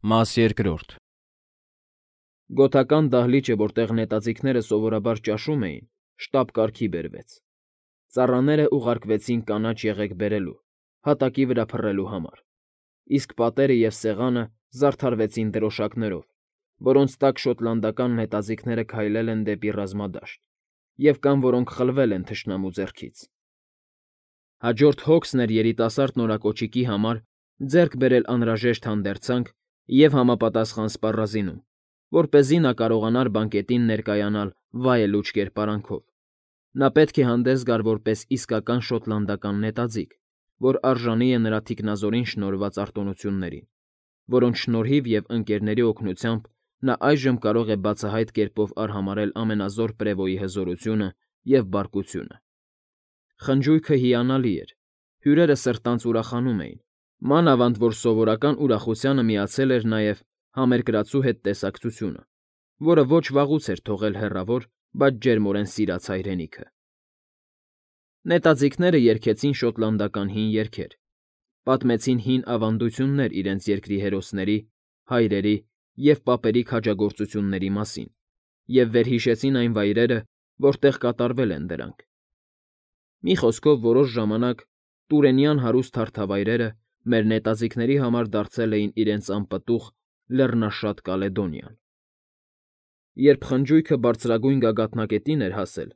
Մաս երկրորդ Գոթական դահլիճը, որտեղ նետաձիգները սովորաբար ճաշում էին, շտապ կարգի բերվեց. ծառաները ուղարկվեցին կանաչ եղեգ բերելու, հատակի վրա փռելու համար, իսկ պատերը և սեղանը զարդարվեցին դրոշակներով, որոնց տակ շոտլանդական նետաձիգները քայլել են դեպի ռազմադաշտ, և կան, որոնք խլվել են թշնամու ձեռքից։ Հաջորդ հոգսն էր երիտասարդ նորակոճիկի համար ձեռք բերել անհրաժեշտ հանդերձանք և համապատասխան սպառազինում, որպեսզի նա կարողանար բանկետին ներկայանալ վայելուչ կերպարանքով։ Նա պետք է հանդես գար որպես իսկական շոտլանդական նետաձիգ, որ արժանի է նրա թիկնազորին շնորհված արտոնություններին, որոնց շնորհիվ և ընկերների օգնությամբ նա այժմ կարող է բացահայտ կերպով արհամարհել ամենազոր Պրևոյի հզորությունը և բարկությունը։ Խնջույքը հիանալի էր, հյուրերը սրտանց ուրախանում էին, մանավանդ որ սովորական ուրախությանը միացել էր նաև համերկրացու հետ տեսակցությունը, որը ոչ վաղուց էր թողել հեռավոր, բայց ջերմորեն սիրած հայրենիքը։ Նետաձիգները երգեցին շոտլանդական հին երգեր, պատմեցին հին ավանդություններ իրենց երկրի հերոսների, հայրերի և պապերի քաջագործությունների մասին և վերհիշեցին այն վայրերը, որտեղ կատարվել են դրանք։ Մի խոսքով, որոշ ժամանակ տուրենյան հարուստ հարթավայրերը մեր նետաձիգների համար դարձել էին իրենց անպտուղ, լեռնաշատ Կալեդոնիան։ Երբ խնջույքը բարձրագույն գագաթնակետին էր հասել,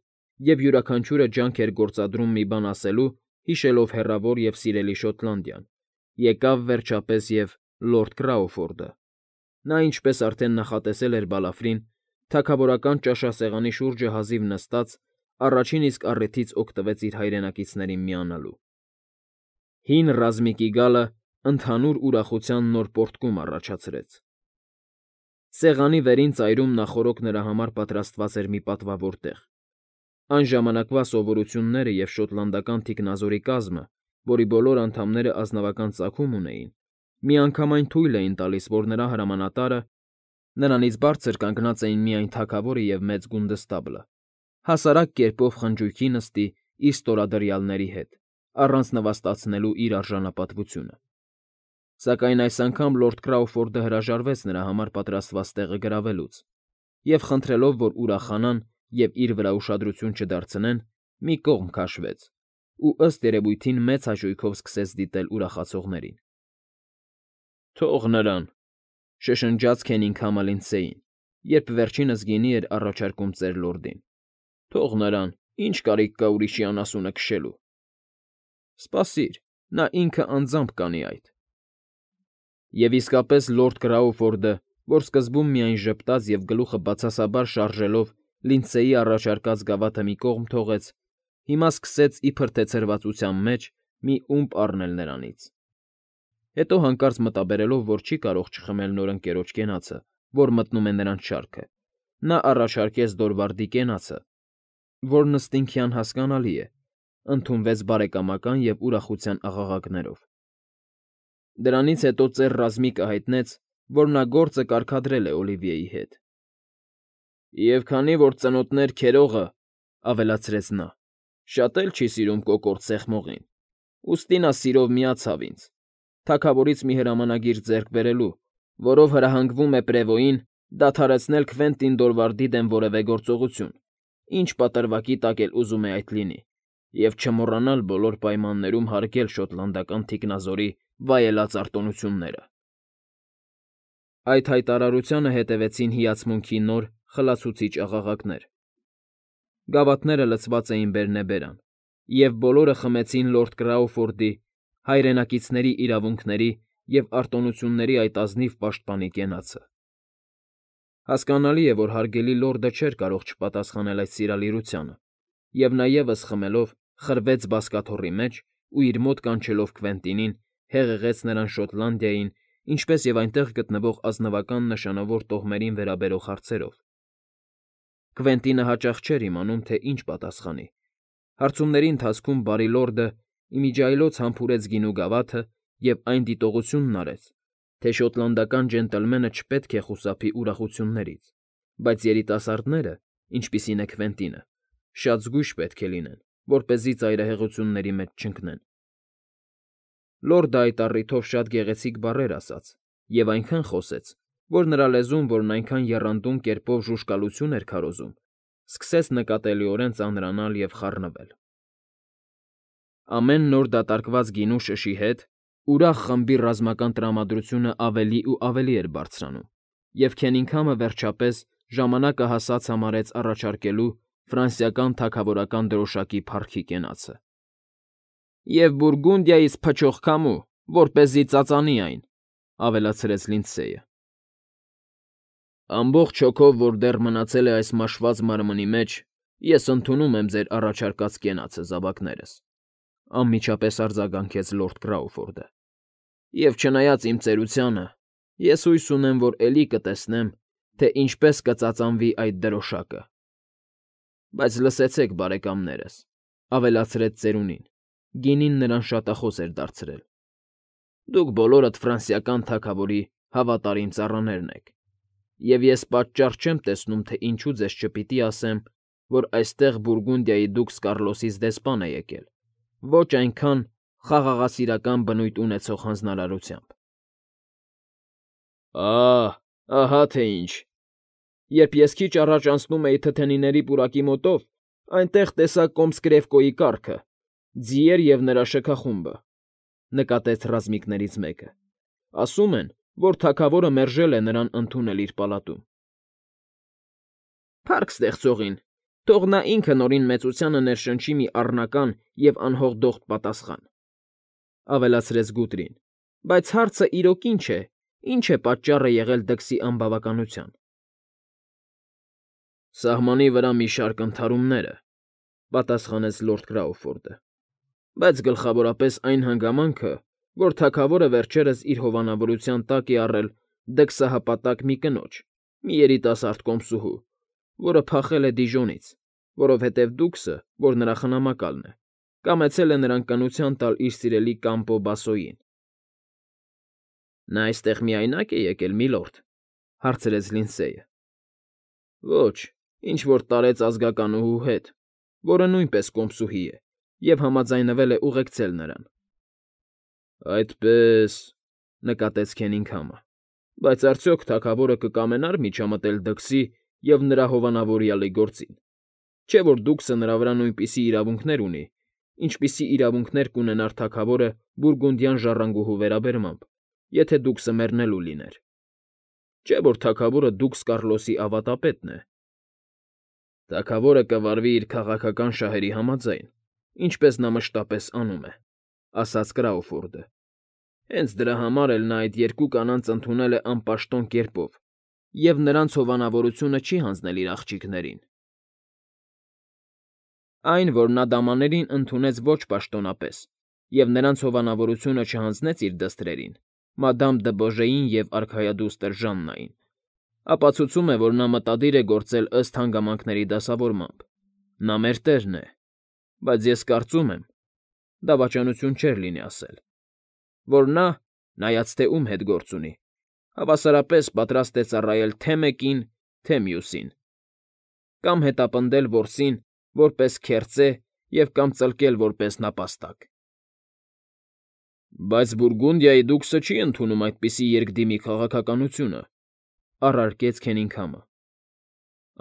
և յուրաքանչյուրը ջանք էր գործադրում մի բան ասելու, հիշելով հեռավոր և սիրելի Շոտլանդիան, եկավ, վերջապես, և լորդ Կրաուֆորդը։ Նա, ինչպես արդեն նախատեսել էր Բալաֆրին, թագավորական ճաշասեղանի շուրջը հազիվ նստած, առաջին իսկ առիթից օգտվեց իր հայրենակիցներին միանալու։ Հին ռազմիկի գալը ընդհանուր ուրախության նոր պոռթկում առաջացրեց։ Սեղանի վերին ծայրում նախօրոք նրա համար պատրաստված էր մի պատվավոր տեղ։ Այն ժամանակվա սովորությունները և շոտլանդական թիկնազորի կազմը, որի բոլոր անդամները ազնվական ծագում ունեին, միանգամայն թույլ էին տալիս, որ նրա հրամանատարը (նրանից բարձր կանգնած էին միայն թագավորը և մեծ գունդստաբլը) հասարակ կերպով խնջույքի նստի իր ստորադրյալների հետ, առանց նվաստացնելու իր արժանապատվությունը։ Սակայն այս անգամ լորդ Կրաուֆորդը հրաժարվեց նրա համար պատրաստված տեղը գրավելուց և, խնդրելով, որ ուրախանան և իր վրա ուշադրություն չդարձնեն, մի կողմ քաշվեց ու, ըստ երևույթին, մեծ հաճույքով սկսեց դիտել ուրախացողներին։ «Թող նրան,֊ շշնջաց Քենիգհամը Լինդսեյին, երբ վերջինս գինի էր առաջարկում ծեր լորդին,֊ թող նրան, ինչ կարիք կա ուրիշի անասունը քշելու»։ Սպասիր, նա ինքը անձամբ կանի այդ։ Եվ իսկապես լորդ Կրաուֆորդը, որ սկզբում միայն ժպտաց և գլուխը բացասաբար շարժելով Լինդսեյի առաջարկած գավաթը մի կողմ թողեց, հիմա սկսեց, իբր թե ցրվածության մեջ, մի ումպ առնել նրանից։ Հետո հանկարծ մտաբերելով, որ չի կարող չխմել նոր ընկերոջ կենացը, որ մտնում է նրանց շարքը, նա առաջարկեց Դորվարդի կենացը, որն ըստ ինքյան հասկանալի է, ընդունվեց բարեկամական և ուրախության աղաղակներով։ Դրանից հետո ծեր ռազմիկը հայտնեց, որ նա գործը կարգադրել է Օլիվիեի հետ։ «Եվ քանի որ ծնոտներ քերողը,֊ ավելացրեց նա,֊ շատ էլ չի սիրում կոկորդ սեղմողին, ուստի նա սիրով միացավ ինձ, թագավորից մի հրամանագիր ձեռք բերելու, որով հրահանգվում է Պրևոյին դադարեցնել Քվենտին Դորվարդի դեմ որևէ գործողություն, ինչ պատրվակի տակ էլ ուզում է այդ լինի, և չմոռանալ բոլոր պայմաններում հարգել շոտլանդական թիկնազորի վայելած արտոնությունները»։ Այդ հայտարարությանը հետևեցին հիացմունքի նոր, խլացուցիչ աղաղակներ։ Գավաթները լցված էին բերնեբերան, և բոլորը խմեցին լորդ Կրաուֆորդի, հայրենակիցների իրավունքների և արտոնությունների այդ ազնիվ պաշտպանի կենացը։ Հասկանալի է, որ հարգելի լորդը չէր կարող չպատասխանել այդ սիրալիրությանը, և նա ևս խմելով խրվեց բազկաթոռի մեջ ու իր մոտ կանչելով Քվենտինին, հեղեղեց նրան Շոտլանդիային, ինչպես և այնտեղ գտնվող ազնվական նշանավոր տոհմերին վերաբերող հարցերով։ Քվենտինը հաճախ չէր իմանում, թե ինչ պատասխանի։ Հարցումների ընթացքում բարի լորդը իմիջիայլոց համբուրեց գինու գավաթը և այն դիտողությունն արեց, թե շոտլանդական ջենտլմենը չպետք է խուսափի ուրախություններից, բայց երիտասարդները, ինչպիսին է Քվենտինը, շատ զգույշ պետք է լինեն, որպեսզի ծայրահեղությունների մեջ չընկնեն։ Լորդը այդ առիթով շատ գեղեցիկ բառեր ասաց և այնքան խոսեց, որ նրա լեզուն, որն այնքան եռանդուն կերպով ժուժկալություն էր քարոզում, սկսեց նկատելիորեն ծանրանալ և խառնվել։ Ամեն նոր դատարկված գինու շշի հետ ուրախ խմբի ռազմական տրամադրությունը ավելի ու ավելի էր բարձրանում, և Քենինգհամը վերջապես ժամանակը հասած համարեց առաջարկելու ֆրանսիական թագավորական դրոշակի փառքի կենացը։ «Եվ Բուրգունդիայից փչող քամու, որպեսզի ծածանի այն», ֊ ավելացրեց Լինդսեյը։ «Ամբողջ հոգով, որ դեռ մնացել է այս մաշված մարմնի մեջ, ես ընդունում եմ ձեր առաջարկած կենացը, զավակներս», ֊ անմիջապես արձագանքեց լորդ Կրաուֆորդը։ «Եվ չնայած իմ ծերությանը, ես հույս ունեմ, որ էլի կտեսնեմ, թե ինչպես կծածանվի այդ դրոշակը։ Բայց լսեցեք, բարեկամներս», ֊ ավելացրեց ծերունին. գինին նրան շատախոս էր դարձրել. «Դուք բոլորդ ֆրանսիական թագավորի հավատարիմ ծառաներն եք, և ես պատճառ չեմ տեսնում, թե ինչու ձեզ չպիտի ասեմ, որ այստեղ Բուրգունդիայի դուքս Կառլոսից դեսպան է եկել, ոչ այնքան խաղաղասիրական բնույթ ունեցող հանձնարարությամբ»։ Ահա թե ինչ։ Երբ ես քիչ առաջ անցնում էի թթենիների պուրակի մոտով, այնտեղ տեսա Կոմսկրեֆկոյի կառքը, ձիեր և նրա շքախումբը, ֊ նկատեց ռազմիկներից մեկը։ Ասում են, որ թագավորը մերժել է նրան ընդունել իր պալատում։ «Փառք ստեղծողին, թող նա ինքը Նորին մեծությանը ներշնչի մի առնական և անհողդողդ պատասխան», ֊ ավելացրեց Գուտրին։ «Բայց հարցը իրոք ինչ է պատճառը եղել դքսի անբավականության»։ «Սահմանի վրա մի շարք ընդհարումները», ֊ պատասխանեց լորդ Կրաուֆորդը, «բայց գլխավորապես այն հանգամանքը, որ թագավորը վերջերս իր հովանավորության տակ է առել դքսահպատակ մի կնոջ, մի երիտասարդ կոմսուհու, որը փախել է Դիժոնից, որովհետև դուքսը, որ նրա խնամակալն է, կամեցել է նրան կնության տալ իր սիրելի Կամպո Բասոյին»։ «Նա այստեղ միայնա՞կ է եկել, միլորդ», ֊ հարցրեց Լինդսեյը։ «Ոչ, ինչ֊որ տարեց ազգականուհու հետ, որը նույնպես կոմսուհի է և համաձայնվել է ուղեկցել նրան»։ «Այդպե՜ս», ֊ նկատեց Քենինգհամը, «բայց արդյոք թագավորը կկամենա՞ր միջամտել դքսի և նրա հովանավորյալի գործին, չէ՞ որ դուքսը նրա վրա նույնպիսի իրավունքներ ունի, ինչպիսի իրավունքներ կունենար թագավորը բուրգունդյան ժառանգուհու վերաբերմամբ, եթե դուքսը մեռնելու լիներ։ Չէ՞ որ թագավորը դուքս Կառլոսի ավատապետն է»։ «Թագավորը կվարվի իր քաղաքական շահերի համաձայն, ինչպես նա մշտապես անում է», ֊ ասաց Կրաուֆորդը։ «Հենց դրա համար էլ նա այդ երկու կանանց ընդունել է անպաշտոն կերպով և նրանց հովանավորությունը չի հանձնել իր աղջիկներին»։ Այն, որ նա դամաներին ընդունեց ոչ պաշտոնապես և նրանց հովանավորությունը չհանձնեց իր դստրերին՝ մադամ դը Բոժեին և արքայադուստր Ժաննային, ապացուցում է, որ նա մտադիր է գործել ըստ հանգամանքների դասավորմամբ։ Նա մեր տերն է, բայց ես կարծում եմ (դավաճանություն չէր լինի ասել), որ նա, նայած թե ում հետ գործ ունի, հավասարապես պատրաստ է ծառայել թե՛ մեկին, թե՛ մյուսին, կամ հետապնդել որսին որպես քերծե և կամ ծլկել որպես նապաստակ։ «Բայց Բուրգունդիայի դուքսը չի ընդունում այդպիսի երկդիմի քաղաքականությունը», ֊ առարկեց Քենինգհամը։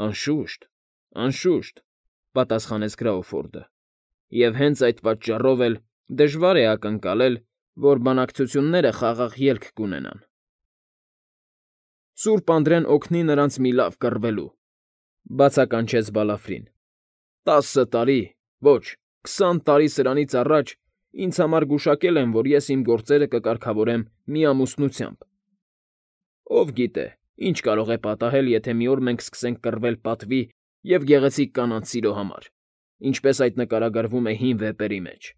«Անշուշտ, անշուշտ», ֊ պատասխանեց Կրաուֆորդը, «և հենց այդ պատճառով էլ դժվար է ակնկալել, որ բանակցությունները խաղաղ ելք կունենան»։ «Սուրբ Անդրեն օգնի նրանց մի լավ կռվելու», ֊ բացականչեց Բալաֆրին։ «10 տարի, ոչ, 20 տարի սրանից առաջ ինձ համար գուշակել են, որ ես իմ գործերը կկարգավորեմ միամուսնությամբ։ Ով գիտե, ինչ կարող է պատահել, եթե մի օր մենք սկսենք կռվել պատվի և գեղեցիկ կանանց սիրո համար, ինչպես այդ նկարագրվում է հին վեպերի մեջ»։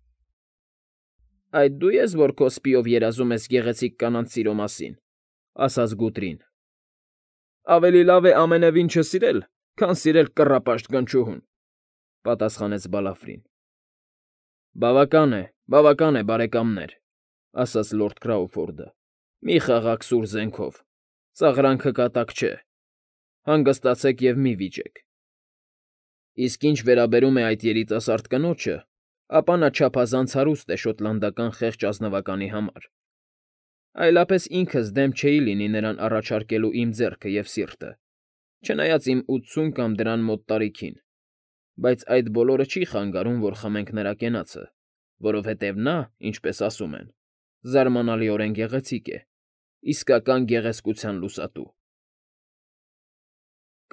«Այդ դու ես, որ քո սպիով երազում ես գեղեցիկ կանանց սիրո մասին», ֊ ասաց Գուտրին։ «Ավելի լավ է ամենևին չսիրել, քան սիրել կռապաշտ գնչուհուն», ֊ պատասխանեց Բալաֆրին։ Բավական է, բարեկամներ», ֊ ասաց լորդ Կրաուֆորդը։ «Մի խաղաք սուր զենքով, ծաղրանքը կատակ չէ։ Հանգստացեք և մի՛ վիճեք։ Իսկ ինչ վերաբերում է այդ երիտասարդ կնոջը, ապա նա չափազանց հարուստ է շոտլանդական խեղճ ազնվականի համար։ Այլապես ինքս դեմ չէի լինի նրան առաջարկելու իմ ձեռքը և սիրտը, չնայած իմ 80 կամ դրան մոտ տարիքին, բայց այդ բոլորը չի խանգարում, որ խմենք նրա կենացը, որովհետև նա, ինչպես ասում են, զարմանալիորեն գեղեցիկ է, իսկական գեղեցկության լուսատու։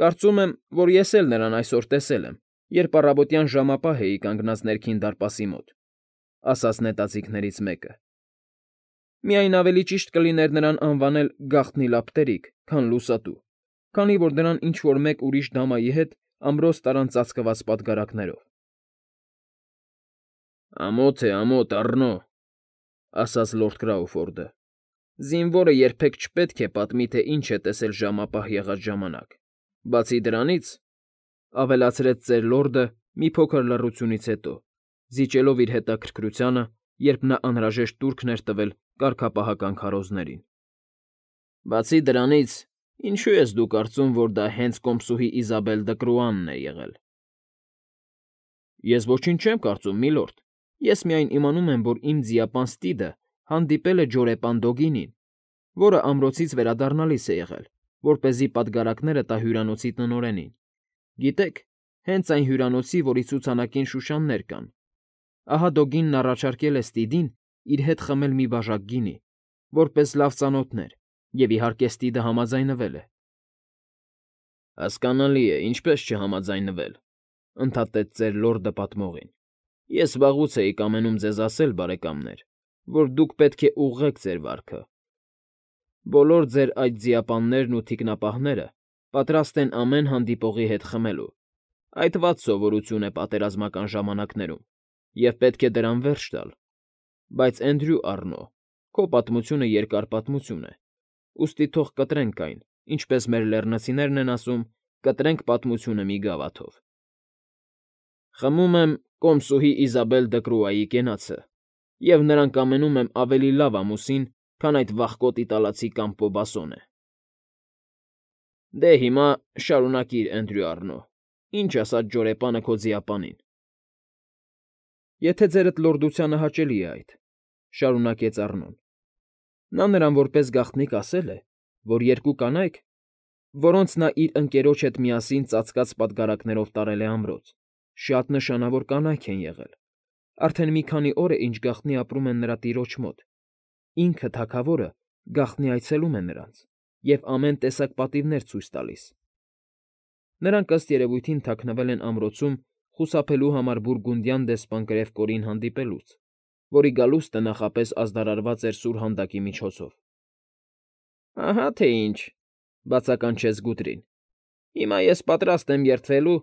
Կարծում եմ, որ ես էլ նրան այսօր տեսել եմ, երբ առավոտյան ժամապահ էի կանգնած ներքին դարպասի մոտ, ասաց նետաձիգներից մեկը։ Միայն ավելի ճիշտ կլիներ նրան անվանել գաղտնի լապտերիկ, քան լուսատու, քանի որ նրան ինչ֊որ մեկ ուրիշ դամայի հետ ամրոց տարան ծածկված պատգարակներով։ Ամոթ է, ամոթ, Առնո, ասաց լորդ Կրաուֆորդը։ Զինվորը երբեք չպետք է պատմի, թե ինչ է տեսել ժամապահ եղած ժամանակ, բացի դրանից, ավելացրեց ծեր լորդը մի փոքր լռությունից հետո, զիջելով իր հետաքրքրությանը, երբ նա անհրաժեշտ տուրքն էր տվել կարգապահական քարոզներին։ Բացի դրանից, ինչու ես դու կարծում, որ դա հենց կոմսուհի Իզաբել Դկրուանն է եղել։ Ես ոչինչ չեմ կարծում, միլորդ, ես միայն իմանում եմ, որ իմ ձիապան Ստիդը հանդիպել է ջորեպան Դոգինին, որը ամրոցից վերադառնալիս է եղել, որպեսզի պատգարակները տա հյուրանոցի տնօրենին։ Գիտեք, հենց այն հյուրանոցի, որի ցուցանակին շուշաններ կան։ Ահա Դոգինն առաջարկել է Ստիդին իր հետ խմել մի բաժակ գինի, որպես լավ ծանոթներ, և իհարկե Ստիդը համաձայնվել է։ Հասկանալի է, ինչպես չհամաձայնվել, ընդհատեց ծեր լորդը պատմողին։ Ես վաղուց էի կամենում ձեզ ասել, բարեկամներ, որ դուք պետք է ուղղեք ձեր վարքը։ Բոլոր ձեր այդ ձիապաններն ու թիկնապահները պատրաստ են ամեն հանդիպողի հետ խմելու։ Այդ վատ սովորություն է պատերազմական ժամանակներում, և պետք է դրան վերջ տալ։ Բայց Էնդրյու Առնո, քո պատմությունը երկար պատմություն է, ուստի թող կտրենք այն, ինչպես մեր լեռնացիներն են ասում, կտրենք պատմությունը մի գավաթով։ Խմում եմ կոմսուհի Իզաբել Դկրուայի կենացը, և նրան կամենում եմ ավելի լավ ամուսին, քան այդ վախկոտ իտալացի Կամպոբասոնը։ Դե հիմա շարունակիր, Էնդրյու Առնո, ինչ ասաց ջորեպանը քո ձիապանին։ Եթե ձերդ լորդությանը հաճելի է այդ, շարունակեց Առնոն։ Նա նրան որպես գաղտնիք ասել է, որ երկու կանայք, որոնց նա իր ընկերոջ հետ միասին ծածկած պատգարակներով տարել է ամրոց, շատ նշանավոր կանայք են եղել, արդեն մի քանի օր է, ինչ գաղտնի ապրում են նրա տիրոջ մոտ, ինքը թագավորը գաղտնի այցելում է նրանց և ամեն տեսակ պատիվներ ցույց տալիս։ Նրանք ըստ երևույթին թաքնվել են ամրոցում խուսափելու համար բուրգունդյան դեսպան Կրևկորին հանդիպելուց, որի գալուստը նախապես ազդարարված էր սուրհանդակի միջոցով։ Ահա թե ինչ, բացականչեց Գուտրին։ Հիմա ես պատրաստ եմ երդվելու,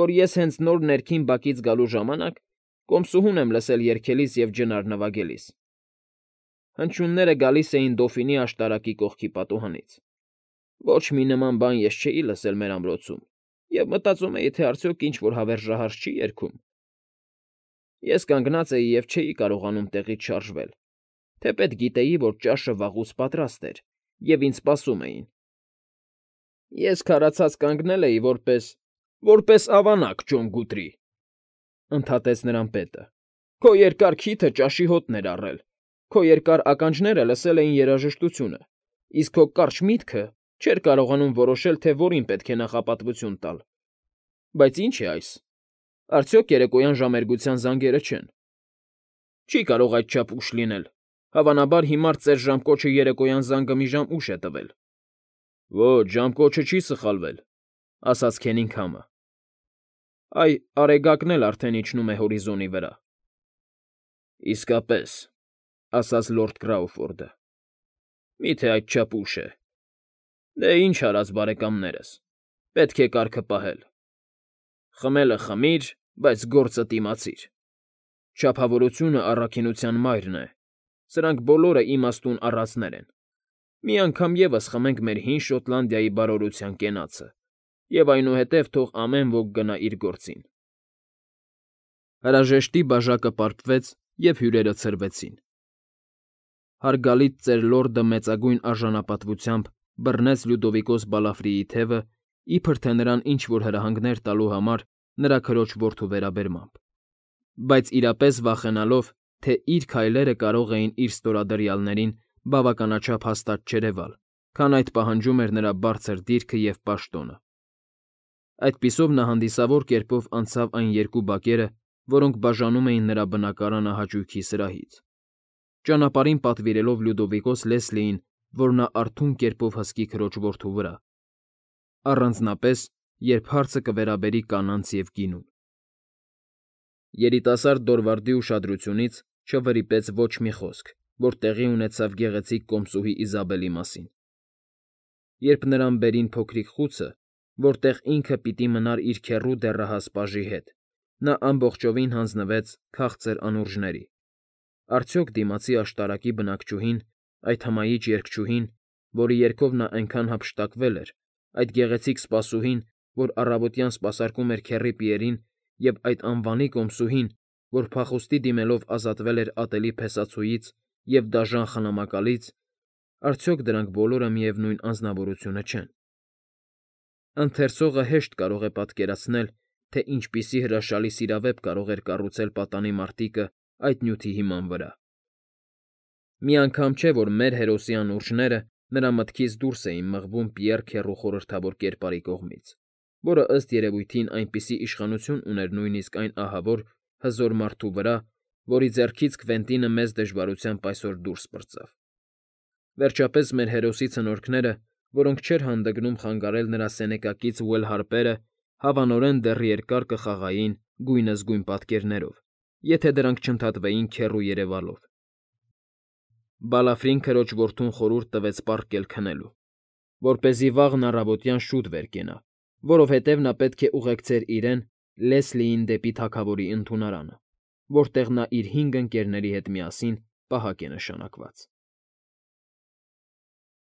որ ես հենց նոր ներքին բակից գալու ժամանակ կոմսուհուն եմ լսել երգելիս և ջնար նվագելիս։ Հնչյունները գալիս էին դոֆինի աշտարակի կողքի պատուհանից։ Ոչ մի նման բան ես չէի լսել մեր ամրոցում և մտածում էի, թե արդյոք ինչ֊որ հավերժահարց չի երգում։ Ես կանգնած էի և չէի կարողանում տեղից շարժվել, թեպետ գիտեի, որ ճաշը վաղուց պատրաստ էր, և ինձ սպասում էին։ Ես քարացած կանգնել էի որպես ավանակ, Ջոն Գուտրի, ընդհատեց նրան պետը։ Քո երկար քիթը ճաշի հոտն էր առել, քո երկար ականջները լսել էին երաժշտությունը, իսկ քո կարճ միտքը չէր կարողանում որոշել, թե որին պետք է նախապատվություն տալ։ Բայց ի՞նչ է այս։ Արդյոք երեկոյան ժամերգության զանգերը չեն։ Չի կարող այդչափ ուշ լինել։ Հավանաբար հիմար ծեր ժամկոչը երեկոյան զանգը մի ժամ ուշ է տվել։ Ոչ, ժամկոչը չի սխալվել, ասաց Քենինգհամը։ Այ, արեգակն էլ արդեն իջնում է հորիզոնի վրա։ Իսկապես, ասաց լորդ Կրաուֆորդը։ Մի՞թե այդչափ ուշ է։ Դե ինչ արած, բարեկամներս, պետք է կարգը պահել։ Խմելը խմիր, բայց գործը դիմացիր։ Չափավորությունը առաքինության մայրն է, սրանք բոլորը իմաստուն առածներ են։ Մի անգամ ևս խմենք մեր հին Շոտլանդիայի բարօրության կենացը, և այնուհետև թող ամեն ոք գնա իր գործին։ Հրաժեշտի բաժակը պարկվեց, և հյուրերը ցրվեցին։ Հարգալից ծեր լորդը մեծագույն արժանապատվությամբ բռնեց Լյուդովիկոս Բալաֆրիի թևը, իբր թե նրան ինչ֊որ հրահանգներ տալու համար նրա քրոջ որդու վերաբերմամբ, բայց իրապես վախենալով, թե իր քայլերը կարող էին իր ստորադրյալներին բավականաչափ հաստատ չերևալ, քան այդ պահանջում էր նրա բարձր դիրքը և պաշտոնը։ Այդպիսով նա հանդիսավոր կերպով անցավ այն երկու բակերը, որոնք բաժանում էին նրա բնակարանը հաճույքի սրահից, ճանապարհին պատվիրելով Լյուդովիկոս Լեսլիին, որ նա արթուն կերպով հսկի քրոջ որդու վրա, առանձնապես, երբ հարցը կվերաբերի կանանց և գինուն։ Երիտասարդ Դորվարդի ուշադրությունից չվրիպեց ոչ մի խոսք, որ տեղի ունեցավ գեղեցիկ կոմսուհի Իզաբելի մասին։ Երբ նրան բերին փոքրիկ խուցը, որտեղ ինքը պիտի մնար իր քեռու դեռահաս պաժի հետ, նա ամբողջովին հանձնվեց քաղցր անուրջների։ Արդյոք դիմացի աշտարակի բնակչուհին, այդ հմայիչ երգչուհին, որի երգով նա այնքան հափշտակվել էր, այդ գեղեցիկ սպասուհին, որ առավոտյան սպասարկում էր քեռի Պիերին, և այդ անվանի կոմսուհին, որ փախուստի դիմելով ազատվել էր ատելի փեսացուից և դաժան խնամակալից, արդյոք դրանք բոլորը միևնույն անձնավորությունը չեն։ Ընթերցողը հեշտ կարող է պատկերացնել, թե ինչպիսի հրաշալի սիրավեպ կարող էր կառուցել պատանի մարտիկը այդ նյութի հիման վրա։ Մի անգամ չէ, որ մեր հերոսի անուրջները նրա մտքից դուրս էին մղվում Պիեռ քեռու խորհրդավոր կերպարի կողմից, որը ըստ երևույթին այնպիսի իշխանություն ուներ նույնիսկ այն ահավոր, հզոր մարդու վրա, որի ձեռքից Քվենտինը մեծ դժվարությամբ այսօր դուրս պրծավ։ Վերջապես մեր հերոսի ցնորքները, որոնք չէր հանդգնում խանգարել նրա սենեկակից Ուել հարպերը, հավանորեն դեռ երկար կխաղային գույնզգույն պատկերներով, եթե դրանք չընդհատվեին քեռու երևալով։ Բալաֆրին քրոջ որդուն խորհուրդ տվեց պառկել քնելու, որպեսզի վաղն առավոտյան շուտ վեր կենա, որովհետև նա պետք է ուղեկցեր իրեն Լեսլիին դեպի թագավորի ընդունարանը, որտեղ նա իր 5 ընկերների հետ միասին պահակ է նշանակված։